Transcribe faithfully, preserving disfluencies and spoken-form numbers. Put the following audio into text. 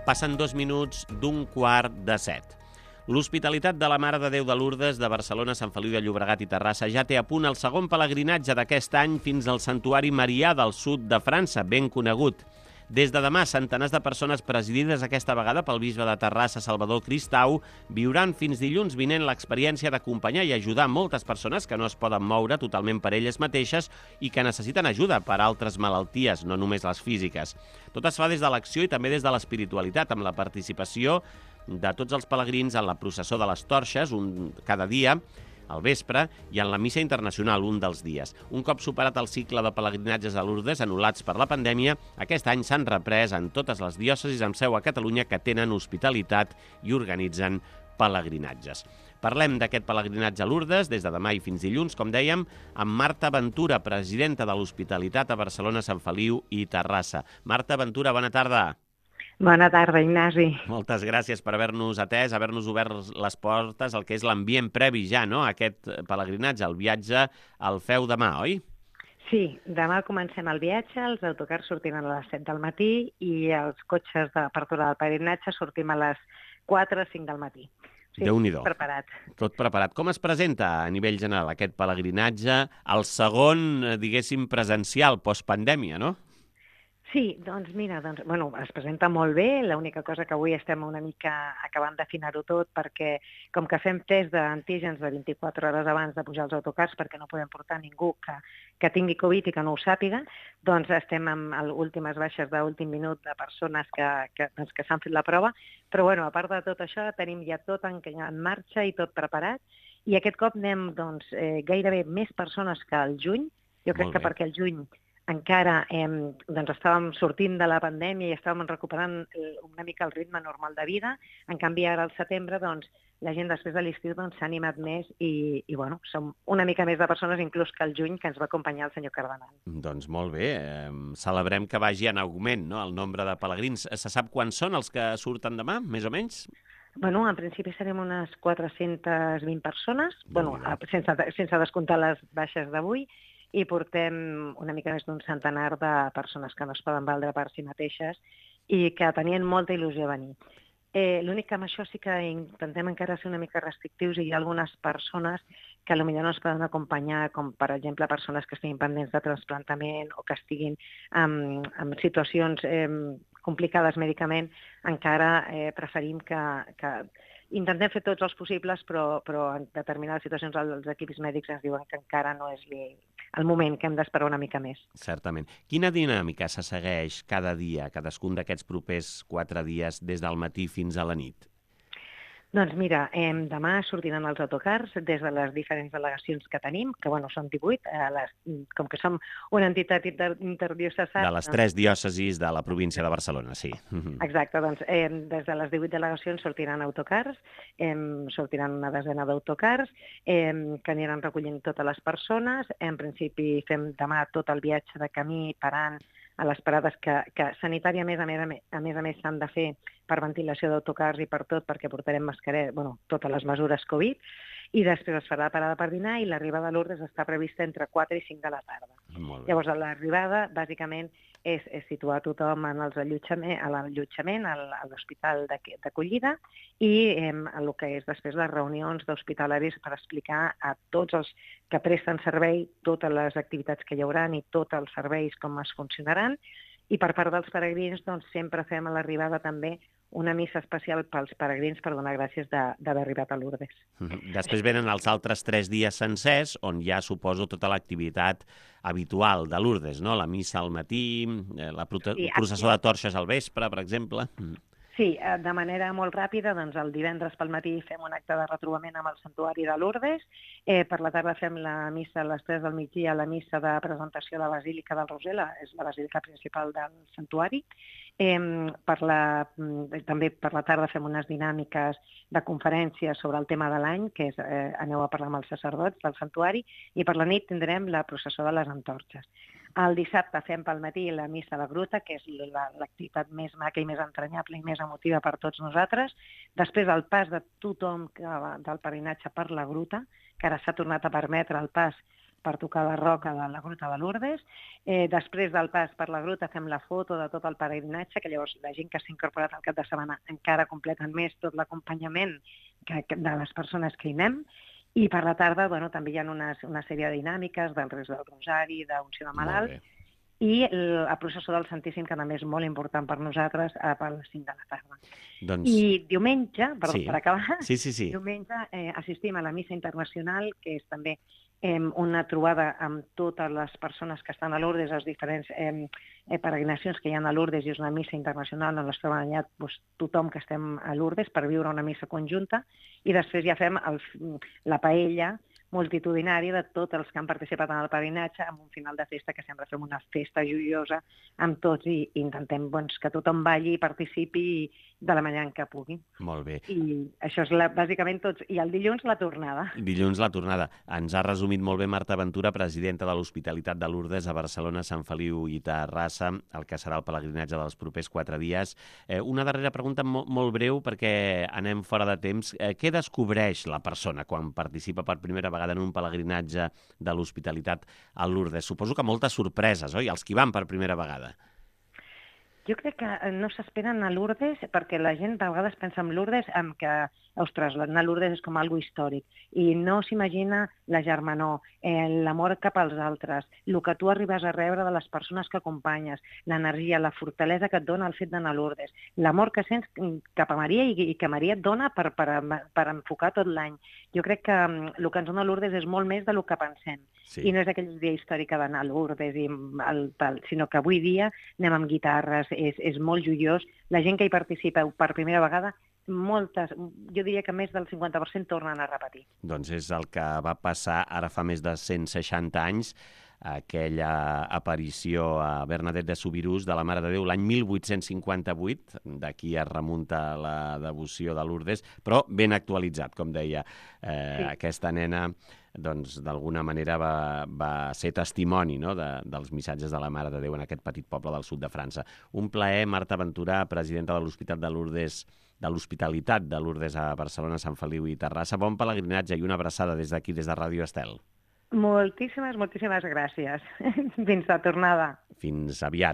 Passen dos minuts d'un quart de set. L'Hospitalitat de la Mare de Déu de Lourdes de Barcelona, Sant Feliu de Llobregat i Terrassa ja té a punt el segon pelegrinatge d'aquest any fins al Santuari Marià del sud de França, ben conegut. Des de demà, centenars de persones presidides aquesta vegada pel bisbe de Terrassa, Salvador Cristau, viuran fins dilluns vinent l'experiència d'acompanyar i ajudar moltes persones que no es poden moure totalment per elles mateixes i que necessiten ajuda per altres malalties, no només les físiques. Tot es fa des de l'acció i també des de l'espiritualitat, amb la participació de tots els pelegrins en la processó de les torxes, un cada dia, al vespre, i en la missa internacional, un dels dies. Un cop superat el cicle de pelegrinatges a Lourdes anul·lats per la pandèmia, aquest any s'han reprès en totes les diòcesis amb seu a Catalunya que tenen hospitalitat i organitzen pelegrinatges. Parlem d'aquest pelegrinatge a Lourdes des de demà i fins dilluns, com dèiem, amb Marta Ventura, presidenta de l'Hospitalitat a Barcelona, Sant Feliu i Terrassa. Marta Ventura, bona tarda. Bona tarda, Ignasi. Moltes gràcies per haver-nos atès, haver-nos obert les portes, el que és l'ambient previ ja, no?, a aquest pelegrinatge. El viatge el feu demà, oi? Sí, demà comencem el viatge, els autocars sortim a les set del matí i els cotxes d'apertura del pelegrinatge sortim a les quatre o cinc del matí. Sí, Déu-n'hi-do. Preparat. Tot preparat. Com es presenta a nivell general aquest pelegrinatge, el segon, diguéssim, presencial, postpandèmia, no? Sí, doncs mira, doncs, bueno, es presenta molt bé, l'única cosa que avui estem una mica acabant d'afinar-ho tot perquè com que fem test d'antígens de vint-i-quatre hores abans de pujar als autocars perquè no podem portar ningú que, que tingui Covid i que no ho sàpiga, doncs estem amb últimes baixes d'últim minut de persones que, que, doncs, que s'han fet la prova, però bueno, a part de tot això tenim ja tot en, en marxa i tot preparat i aquest cop anem doncs, eh, gairebé més persones que al juny, jo crec que perquè al juny encara eh, doncs estàvem sortint de la pandèmia i estàvem recuperant una mica el ritme normal de vida. En canvi, ara al setembre, doncs, la gent després de l'estiu doncs, s'ha animat més i, i bueno, som una mica més de persones, inclús que al juny, que ens va acompanyar el senyor Cardenal. Doncs molt bé. Eh, celebrem que vagi en augment, no?, el nombre de pelegrins. Se sap quants són els que surten demà, més o menys? Bueno, en principi serem unes quatre-centes vint persones, bueno, sense, sense descomptar les baixes d'avui, i portem una mica més d'un centenar de persones que no es poden valdre per si mateixes i que tenien molta il·lusió a venir. Eh, L'únic que amb això sí que intentem encara ser una mica restrictius i hi ha algunes persones que potser no es poden acompanyar, com per exemple persones que estiguin pendents de trasplantament o que estiguin en, en situacions eh, complicades mèdicament, encara eh, preferim que... que intentem fer tots els possibles, però, però en determinades situacions els equips mèdics ens diuen que encara no és el moment, que hem d'esperar una mica més. Certament. Quina dinàmica se segueix cada dia, cadascun d'aquests propers quatre dies, des del matí fins a la nit? Doncs mira, eh, demà sortiran els autocars des de les diferents delegacions que tenim, que bueno, són divuit, eh, les, com que som una entitat inter interdiocesana... De les tres doncs... diòcesis de la província de Barcelona, sí. Exacte, doncs eh, des de les divuit delegacions sortiran autocars, eh, sortiran una desena d'autocars, eh, que aniran recollint totes les persones. En principi fem demà tot el viatge de camí parant a les parades que, que sanitàriament, a més a més, a més, a més s'han de fer per ventilació d'autocars i per tot, perquè portarem mascareta, bueno, totes les mesures Covid, i després es farà la parada per dinar i l'arribada a Lourdes està prevista entre quatre i cinc de la tarda. Llavors, l'arribada, bàsicament, és, és situar tothom en els allotjament, a l'allotjament, a l'hospital d'acollida i eh, el que és després les reunions d'hospitalaris per explicar a tots els que presten servei totes les activitats que hi haurà i tots els serveis com es funcionaran. I per part dels peregrins doncs, sempre fem a l'arribada també una missa especial pels peregrins per donar gràcies d'haver arribat a Lourdes. Després venen els altres tres dies sencers, on ja suposo tota l'activitat habitual de Lourdes, no? La missa al matí, la processó de torxes al vespre, per exemple. Sí, de manera molt ràpida, doncs el divendres pel matí fem un acte de retrobament amb el santuari de Lourdes, eh, per la tarda fem la missa a les tres del migdia, la missa de presentació de la Basílica del Roser, la, és la basílica principal del santuari. Eh, per la, també per la tarda fem unes dinàmiques de conferències sobre el tema de l'any, que és eh, aneu a parlar amb els sacerdots del santuari, i per la nit tindrem la processó de les antorxes. El dissabte fem pel matí la missa a la gruta, que és l'activitat més maca i més entranyable i més emotiva per tots nosaltres. Després el pas de tothom del peregrinatge per la gruta, que ara s'ha tornat a permetre el pas per tocar la roca de la Gruta de Lourdes. Eh, després del pas per la gruta fem la foto de tot el peregrinatge, que llavors la gent que s'ha incorporat al cap de setmana encara completen més tot l'acompanyament que, que, de les persones que hi anem. I per la tarda bueno, també hi ha una, una sèrie de dinàmiques del Reis del Rosari, d'unció de malalt, i la processó del Santíssim, que també és molt important per nosaltres, per les cinc de la tarda. Doncs... I diumenge, per, sí. per acabar, sí, sí, sí. diumenge eh, assistim a la missa internacional, que és també eh, una trobada amb totes les persones que estan a Lourdes, les diferents eh, eh, peregrinacions que hi ha a Lourdes, i és una missa internacional on es troben allà doncs, tothom que estem a Lourdes per viure una missa conjunta, i després ja fem el, la paella multitudinària de tots els que han participat en el peregrinatge, amb un final de festa que sempre fem una festa joiosa amb tots i, i intentem doncs, que tothom balli i participi de la manera en què pugui. Molt bé. I això és la, bàsicament tots. I el dilluns la tornada. Dilluns la tornada. Ens ha resumit molt bé Marta Ventura, presidenta de l'Hospitalitat de Lourdes a Barcelona, Sant Feliu i Terrassa, el que serà el pelegrinatge dels propers quatre dies. Eh, una darrera pregunta molt, molt breu, perquè anem fora de temps. Eh, què descobreix la persona quan participa per primera vegada en un pelegrinatge de l'Hospitalitat a Lourdes? Suposo que moltes sorpreses, oi? Els que van per primera vegada. Jo crec que no s'esperen a Lourdes, perquè la gent de vegades pensa en Lourdes amb que, ostres, anar a Lourdes és com algo històric, i no s'imagina la germanor, eh, l'amor cap als altres, el que tu arribes a rebre de les persones que acompanyes, l'energia, la fortalesa que et dona el fet d'anar a Lourdes, l'amor que sents cap a Maria i, i que Maria et dona per, per, per enfocar tot l'any. Jo crec que el que ens dona Lourdes és molt més del que pensem. Sí. I no és aquella idea històrica d'anar a Lourdes, i el, tal, sinó que avui dia anem amb guitarres, és, és molt joiós. La gent que hi participa per primera vegada, moltes, jo diria que més del cinquanta per cent tornen a repetir. Doncs és el que va passar ara fa més de cent seixanta anys, aquella aparició a Bernadette de Subirús de la Mare de Déu l'any mil vuit-cents cinquanta-vuit, d'aquí es remunta la devoció de Lourdes, però ben actualitzat, com deia. Eh, sí. Aquesta nena doncs d'alguna manera va, va ser testimoni, no?, de, dels missatges de la Mare de Déu en aquest petit poble del sud de França. Un plaer, Marta Ventura, presidenta de l'Hospital de Lourdes, de l'Hospitalitat de Lourdes a Barcelona, Sant Feliu i Terrassa. Bon pelegrinatge i una abraçada des d'aquí, des de Ràdio Estel. Moltíssimes, moltíssimes gràcies. Fins la tornada. Fins aviat.